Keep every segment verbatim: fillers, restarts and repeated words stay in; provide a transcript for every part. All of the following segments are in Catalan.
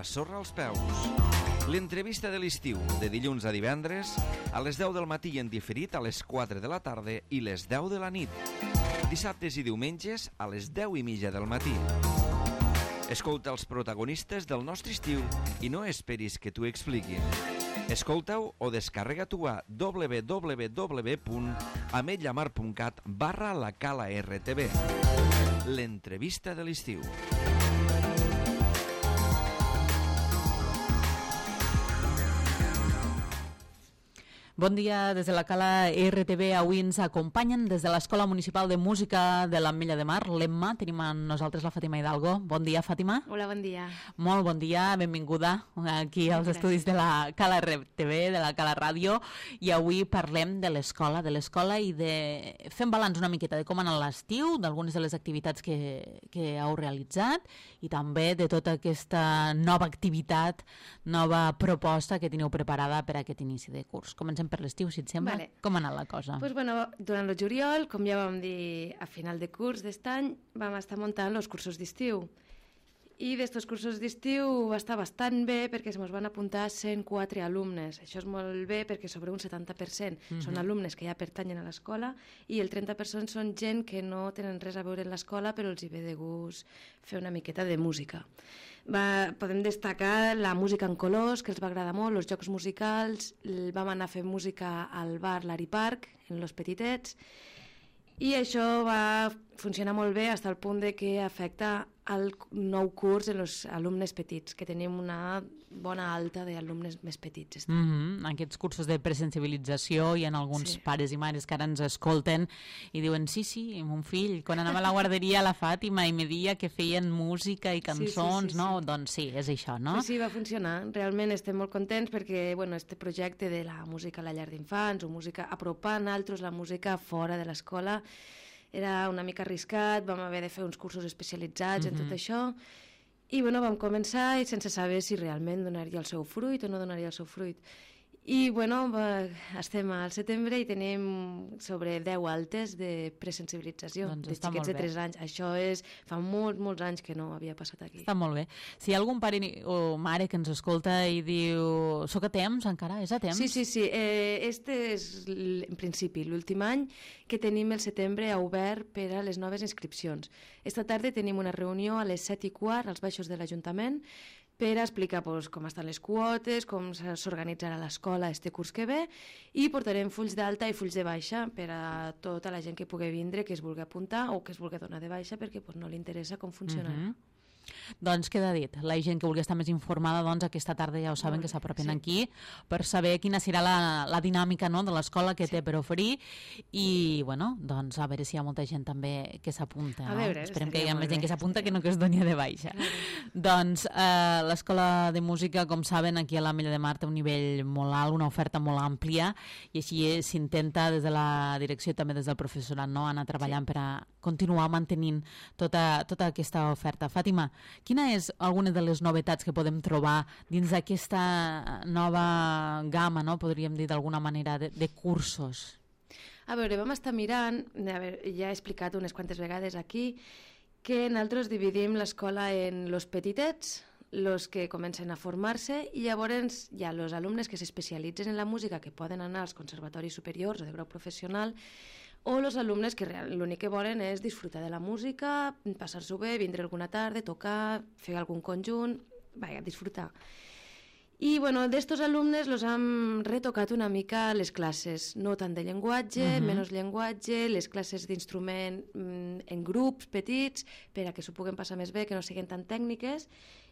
la sorra als peus. L'entrevista de l'estiu, de dilluns a divendres, a les deu del matí i en diferit a les quatre de la tarda i les deu de la nit. Dissabtes i diumenges a les deu i mitja del matí. Escolta els protagonistes del nostre estiu i no esperis que t'ho expliquin. Escolta-ho o descarrega-t'ho a w w w punt ametlllamar punt cat barra la cala R T V. L'entrevista de l'estiu. Bon dia des de la Cala R T V. Avui ens acompanyen des de l'Escola Municipal de Música de l'Ametlla de Mar, l'Emma. Tenim amb nosaltres la Fàtima Hidalgo. Bon dia, Fàtima. Hola, bon dia. Molt bon dia, benvinguda aquí als Gràcies. Estudis de la Cala R T V, de la Cala Ràdio. I avui parlem de l'escola, de l'escola i de... Fem balanç una miqueta de com ha anat l'estiu, d'algunes de les activitats que, que heu realitzat i també de tota aquesta nova activitat, nova proposta que teniu preparada per a aquest inici de curs. Comencem per l'estiu, si et sembla. Vale. Com ha anat la cosa? Pues bueno, durant el juliol, com ja vam dir a final de curs d'est any, vam estar muntant els cursos d'estiu. I d'estos cursos d'estiu va estar bastant bé perquè es mos van apuntar cent quatre alumnes. Això és molt bé perquè sobre un setanta per cent mm-hmm. són alumnes que ja pertanyen a l'escola i el trenta per cent són gent que no tenen res a veure en l'escola però els hi ve de gust fer una miqueta de música. Va, podem destacar la música en colors, que els va agradar molt, els jocs musicals, vam anar a fer música al bar Lari Park, en Los Petitets, i això va funcionar molt bé fins al punt de que afecta el nou curs en els alumnes petits, que tenim una bona alta d'alumnes més petits. Mm-hmm. Aquests cursos de presensibilització hi ha alguns sí. pares i mares que ara ens escolten i diuen sí, sí, mon fill, quan anava a la guarderia a la Fàtima i me dia que feien música i cançons, sí, sí, sí, no? Sí. Doncs sí, és això, no? Sí, sí, va funcionar. Realment estem molt contents perquè, bueno, este projecte de la música a la llar d'infants o música apropant altres la música fora de l'escola era una mica arriscat, vam haver de fer uns cursos especialitzats mm-hmm. en tot això i bueno, vam començar i sense saber si realment donaria el seu fruit o no donaria el seu fruit. I bueno, va, estem al setembre i tenim sobre deu altes de presensibilització doncs de xiquets de tres anys. Això és, fa molts, molts anys que no havia passat aquí. Està molt bé. Si hi ha algun pare o mare que ens escolta i diu soc a temps encara, és a temps? Sí, sí, sí. Eh, este és, en principi, l'últim any que tenim el setembre obert per a les noves inscripcions. Esta tarda tenim una reunió a les set i quart als baixos de l'Ajuntament per explicar pues, com estan les quotes, com s'organitzarà l'escola este curs que ve i portarem fulls d'alta i fulls de baixa per a tota la gent que pugui vindre, que es vulgui apuntar o que es vulgui donar de baixa perquè pues, no li interessa com funcionarà. Mm-hmm. Doncs queda dit, la gent que vulgui estar més informada doncs aquesta tarda ja ho saben Molt que s'apropen sí. aquí per saber quina serà la, la dinàmica no, de l'escola que sí. té per oferir i bueno, doncs a veure si hi ha molta gent també que s'apunta, no? Veure, esperem que hi ha més gent que s'apunta que no que es doni de baixa. Mm. Doncs eh, l'escola de música, com saben, aquí a l'Ametlla de Mar té un nivell molt alt, una oferta molt àmplia i així s'intenta des de la direcció i també des del professorat no, anar treballant sí. per a continuar mantenint tota, tota aquesta oferta. Fàtima, quina és alguna de les novetats que podem trobar dins d'aquesta nova gamma, no? Podríem dir d'alguna manera, de, de cursos? A veure, vam estar mirant, a veure, ja he explicat unes quantes vegades aquí, que nosaltres dividim l'escola en los petitets, los que comencen a formar-se, i llavors hi ha els alumnes que s'especialitzen en la música, que poden anar als conservatoris superiors o de grau professional, o els alumnes que l'únic que volen és disfrutar de la música, passar-s'ho bé, vindre alguna tarda, tocar, fer algun conjunt, vaja, disfrutar. I bueno, d'estos alumnes los hem retocat una mica les classes, no tant de llenguatge, uh-huh. menys llenguatge, les classes d'instrument en grups petits, per a que s'ho puguen passar més bé, que no siguin tan tècniques.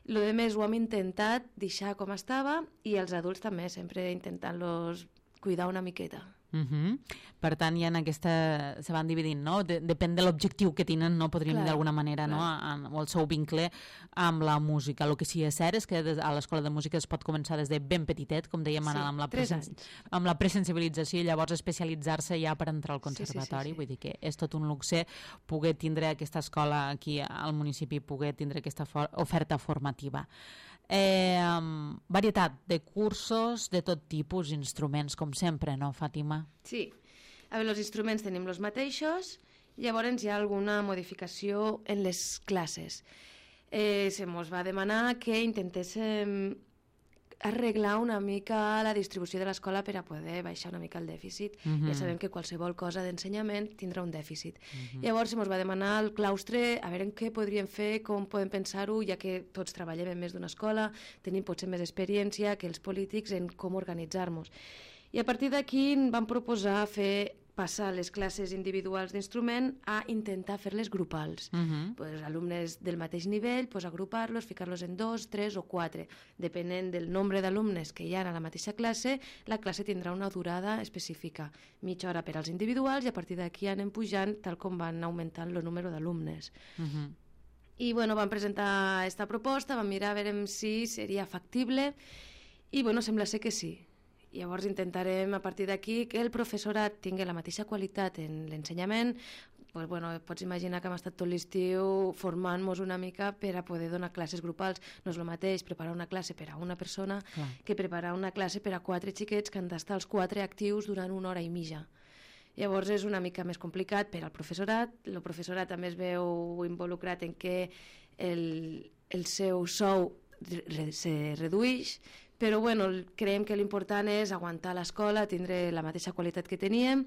Lo de més ho hem intentat deixar com estava i els adults també, sempre intentant-los cuidar una miqueta. Uh-huh. Per tant, ja en aquesta se van dividint, no? De, depèn de l'objectiu que tenen, no? Podríem dir d'alguna manera, clar. No? En, o el seu vincle amb la música. El que sí és cert és que a l'escola de música es pot començar des de ben petitet, com dèiem, sí, amb, la presen... amb la presensibilització i llavors especialitzar-se ja per entrar al conservatori. Sí, sí, sí, sí. Vull dir que és tot un luxe poder tindre aquesta escola aquí al municipi, poder tindre aquesta for... oferta formativa. Eh, um, varietat de cursos de tot tipus, instruments, com sempre, no, Fàtima? Sí. A veure, els instruments tenim els mateixos, llavors hi ha alguna modificació en les classes. eh, se mos va demanar que intentéssim arreglar una mica la distribució de l'escola per a poder baixar una mica el dèficit. Uh-huh. Ja sabem que qualsevol cosa d'ensenyament tindrà un dèficit. Uh-huh. Llavors, se mos va demanar al claustre a veure en què podríem fer, com podem pensar-ho, ja que tots treballem en més d'una escola, tenim potser més experiència que els polítics en com organitzar-nos. I a partir d'aquí vam proposar fer passar les classes individuals d'instrument a intentar fer-les grupals. Uh-huh. Pues, alumnes del mateix nivell, pues, agrupar-los, ficar-los en dos, tres o quatre. Depenent del nombre d'alumnes que hi ha a la mateixa classe, la classe tindrà una durada específica. Mitja hora per als individuals i a partir d'aquí anem pujant tal com van augmentant el número d'alumnes. Uh-huh. I bueno, vam presentar aquesta proposta, vam mirar a veure si seria factible i bueno, sembla ser que sí. Llavors intentarem a partir d'aquí que el professorat tingui la mateixa qualitat en l'ensenyament. Pues, bueno, pots imaginar que hem estat tot l'estiu formant-nos una mica per a poder donar classes grupals. No és el mateix preparar una classe per a una persona Clar. que preparar una classe per a quatre xiquets que han d'estar els quatre actius durant una hora i mitja. Llavors és una mica més complicat per al professorat. El professorat també es veu involucrat en què el, el seu sou re, se redueix, però bueno, creiem que l'important és aguantar l'escola, tindre la mateixa qualitat que teníem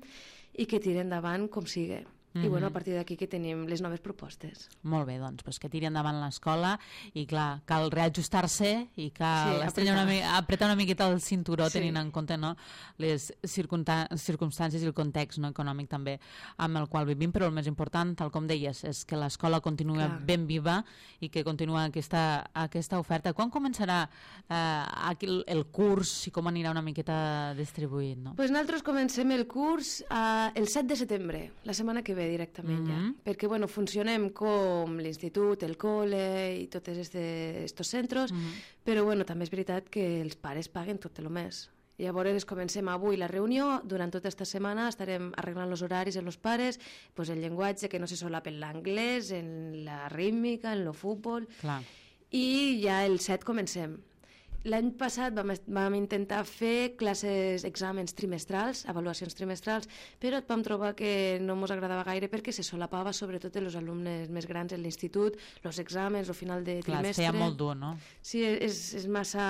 i que tiri endavant com sigui. Mm-hmm. I bueno, a partir d'aquí que tenim les noves propostes. Molt bé, doncs, pues que tiri endavant l'escola i clar, cal reajustar-se i cal sí, apretar. Una, apretar una miqueta el cinturó sí. tenint en compte no, les circumstàncies i el context no, econòmic també amb el qual vivim, però el més important, tal com deies, és que l'escola continua clar. ben viva i que continua aquesta, aquesta oferta. Quan començarà eh, el, el curs i com anirà una miqueta distribuït? No? Pues nosaltres comencem el curs eh, el set de setembre, la setmana que ve directament mm-hmm. ja, perquè bueno, funcionem com l'institut, el col·le i tots aquests centres, mm-hmm. però bueno, també és veritat que els pares paguen tot el mes. Llavors comencem avui la reunió, durant tota aquesta setmana estarem arreglant els horaris en els pares, pues el llenguatge que no se solapen l'anglès, en la rítmica, en el futbol, Clar. i ja el set comencem. L'any passat vam, vam intentar fer classes, exàmens trimestrals, avaluacions trimestrals, però vam trobar que no ens agradava gaire perquè se solapava sobretot els alumnes més grans en l'institut, els exàmens, el final de Clar, trimestre... Clar, feia molt dur, no? Sí, és, és massa...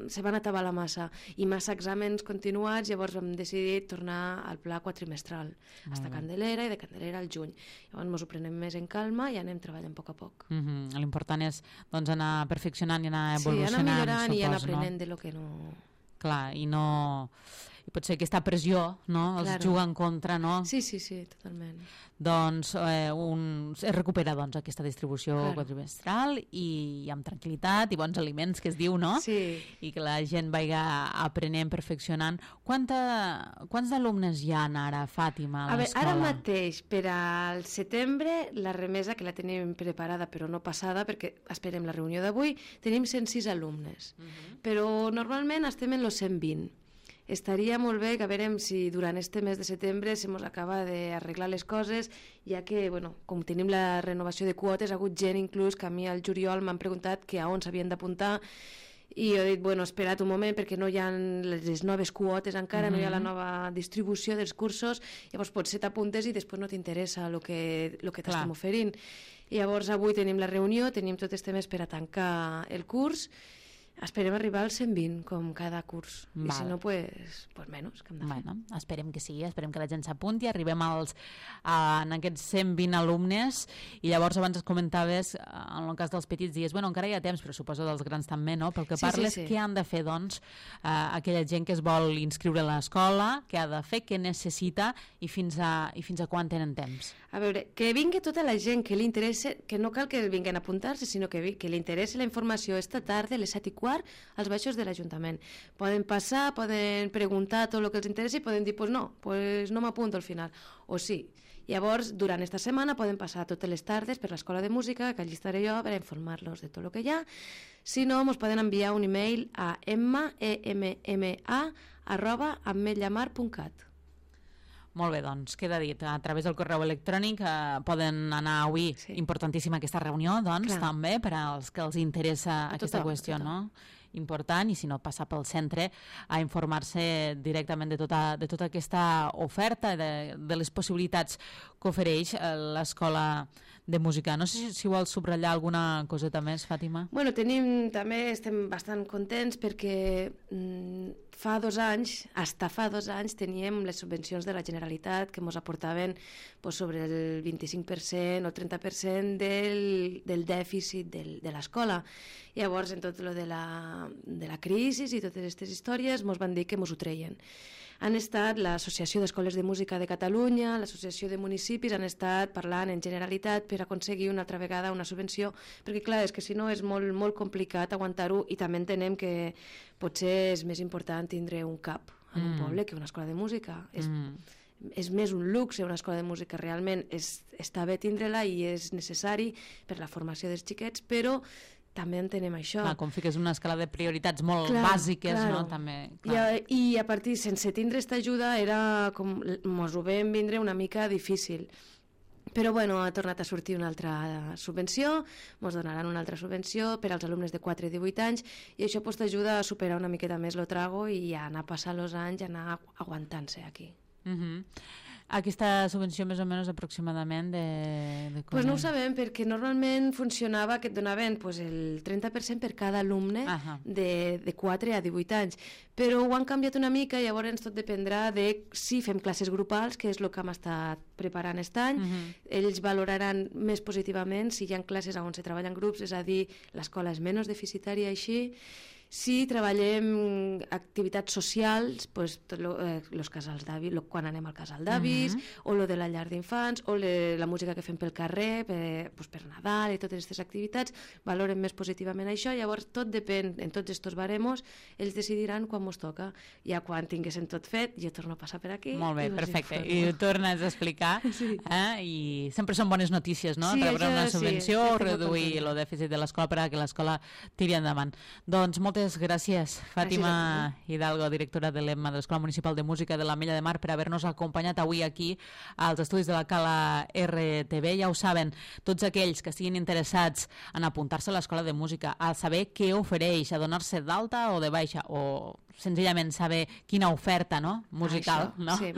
se van atabar la massa i massa exàmens continuats, llavors vam decidir tornar al pla quatrimestral, fins a Candelera i de Candelera al juny. Llavors ens ho prenem més en calma i anem treballant a poc a poc. Mm-hmm. L'important és doncs, anar perfeccionant i anar evolucionant. Sí, anar millorant i anar no? aprenent de lo que no... Clar, i no... I potser aquesta pressió, no? Els claro. juga en contra, no? Sí, sí, sí, totalment. Doncs eh, un... es recupera doncs, aquesta distribució claro. quadrimestral i amb tranquil·litat i bons aliments, que es diu, no? Sí. I que la gent vagi aprenent, perfeccionant. Quanta... Quants alumnes hi ha ara, Fàtima, a, a l'escola? Ara mateix, per al setembre, la remesa, que la tenim preparada però no passada, perquè esperem la reunió d'avui, tenim cent sis alumnes. Uh-huh. Però normalment estem en els cent vint. Estaria molt bé que a veure si durant este mes de setembre se mos acaba d'arreglar les coses, ja que, bueno, com tenim la renovació de quotes, ha hagut gent inclús que a mi al juliol m'han preguntat que a on s'havien d'apuntar i jo he dit, bueno, espera't un moment perquè no hi ha les noves quotes encara, mm-hmm. no hi ha la nova distribució dels cursos, llavors potser t'apuntes i després no t'interessa el que, lo que t'estem oferint. I llavors avui tenim la reunió, tenim tot este mes per a tancar el curs. Esperem arribar als cent vint, com cada curs. Val. I si no, pues, pues menys. Que hem de fer. Bueno, esperem que sigui, esperem que la gent s'apunti, arribem als, a, en aquests cent vint alumnes, i llavors abans es comentaves, en el cas dels petits, dies, bueno, encara hi ha temps, però suposo dels grans també, no? Pel que sí, parles, sí, sí. Què han de fer, doncs, eh, aquella gent que es vol inscriure a l'escola, què ha de fer, què necessita, i fins a, i fins a quan tenen temps? A veure, que vingui tota la gent que li interessa, que no cal que vinguin a apuntar-se, sinó que, vi, que li interessi la informació esta tarda, a les set i quart, als baixos de l'Ajuntament. Poden passar, poden preguntar tot el que els interessi i poden dir, pues no, pues no m'apunto al final, o sí. Llavors, durant aquesta setmana poden passar totes les tardes per l'Escola de Música, que allí estaré jo per informar-los de tot el que hi ha. Si no, ens poden enviar un e-mail a emma, e m m a, arroba ametllamar punt cat. Molt bé, doncs, queda dit. A través del correu electrònic eh, poden anar avui, sí. Importantíssima aquesta reunió, doncs, Clar. també, per als que els interessa a aquesta tothom, qüestió, no? important, i si no, passar pel centre a informar-se directament de tota, de tota aquesta oferta, de, de les possibilitats que ofereix l'escola de música. No sé si, si vols subratllar alguna coseta més, Fàtima. Bueno, tenim, també estem bastant contents perquè mm, fa dos anys, hasta fa dos anys, teníem les subvencions de la Generalitat que ens aportaven pues, sobre el vint-i-cinc per cent o trenta per cent del, del dèficit del, de l'escola. Llavors, en tot lo de la, de la crisi i totes aquestes històries, ens van dir que ens ho treien. Han estat l'Associació d'Escoles de Música de Catalunya, l'Associació de Municipis, han estat parlant en Generalitat per aconseguir una altra vegada una subvenció, perquè clar, és que si no és molt, molt complicat aguantar-ho, i també entenem que potser és més important tindre un cap en un mm. poble que una escola de música. És, mm. és més un luxe una escola de música, realment és, està bé tindre-la i és necessari per la formació dels xiquets, però també entenem això. Clar, com fiques una escala de prioritats molt clar, bàsiques, claro. No? També, I, a, I a partir, sense tindre aquesta ajuda, era com, mos ho vam vindre una mica difícil. Però bueno, ha tornat a sortir una altra subvenció, ens donaran una altra subvenció per als alumnes de quatre a divuit anys, i això pues, t'ajuda a superar una miqueta més el trago i a anar passant els anys, a anar aguantant-se aquí. Mhm. Aquesta subvenció més o menys aproximadament de... de pues no ho sabem, perquè normalment funcionava que et donaven pues, el trenta per cent per cada alumne uh-huh. de, de quatre a divuit anys, però ho han canviat una mica, i llavors tot dependrà de si fem classes grupals, que és el que hem estat preparant aquest any. Uh-huh. Ells valoraran més positivament si hi ha classes on se treballa en grups, és a dir, l'escola és menys deficitària així. Si treballem activitats socials, pues, tot lo, eh, los casals d'avis, quan anem al casal d'avis, uh-huh. o lo de la llar d'infants, o le, la música que fem pel carrer, per, pues, per Nadal i totes aquestes activitats, valoren més positivament això. Llavors tot depèn, en tots aquests baremos, ells decidiran quan mos toca. Ja quan tinguessin tot fet, jo torno a passar per aquí. Molt bé, i perfecte. I ho tornes a explicar. Sí. Eh? I sempre són bones notícies, no? Sí, rebre una subvenció, sí, reduir el dèficit de l'escola perquè l'escola tiri endavant. Doncs moltes Moltes gràcies, Fàtima Hidalgo, directora de l'E M M A de l'Escola Municipal de Música de l'Ametlla de Mar, per haver-nos acompanyat avui aquí als estudis de la Cala R T V. Ja ho saben, tots aquells que estiguin interessats en apuntar-se a l'Escola de Música, a saber què ofereix, a donar-se d'alta o de baixa, o senzillament saber quina oferta, no? musical, Això, no? Sí,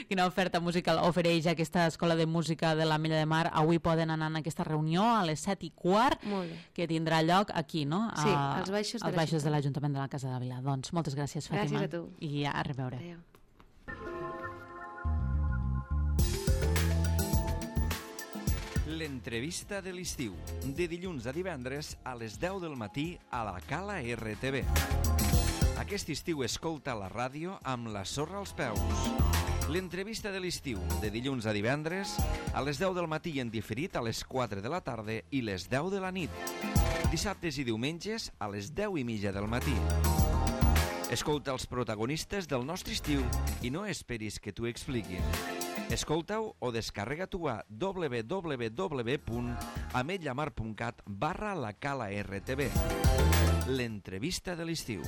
quina oferta musical ofereix aquesta Escola de Música de l'Ametlla de Mar. Avui poden anar en aquesta reunió a les set i quart, que tindrà lloc aquí, no? A, sí, als baixos, als baixos de l'Ajuntament de la Casa de Vila. Doncs moltes gràcies, Fàtima. Gràcies a tu. I a reveure. Adéu. L'entrevista de l'estiu, de dilluns a divendres a les deu del matí a la Cala R T V. Aquest estiu escolta la ràdio amb la sorra als peus. L'entrevista de l'estiu, de dilluns a divendres a les deu del matí i en diferit a les quatre de la tarda i les deu de la nit. Dissabtes i diumenges a les deu i mitja del matí. Escolta els protagonistes del nostre estiu i no esperis que t'ho expliquin. Escolta-ho o descarrega-t'ho a w w w punt ametllamar punt cat barra la Cala R T V. L'entrevista de l'estiu.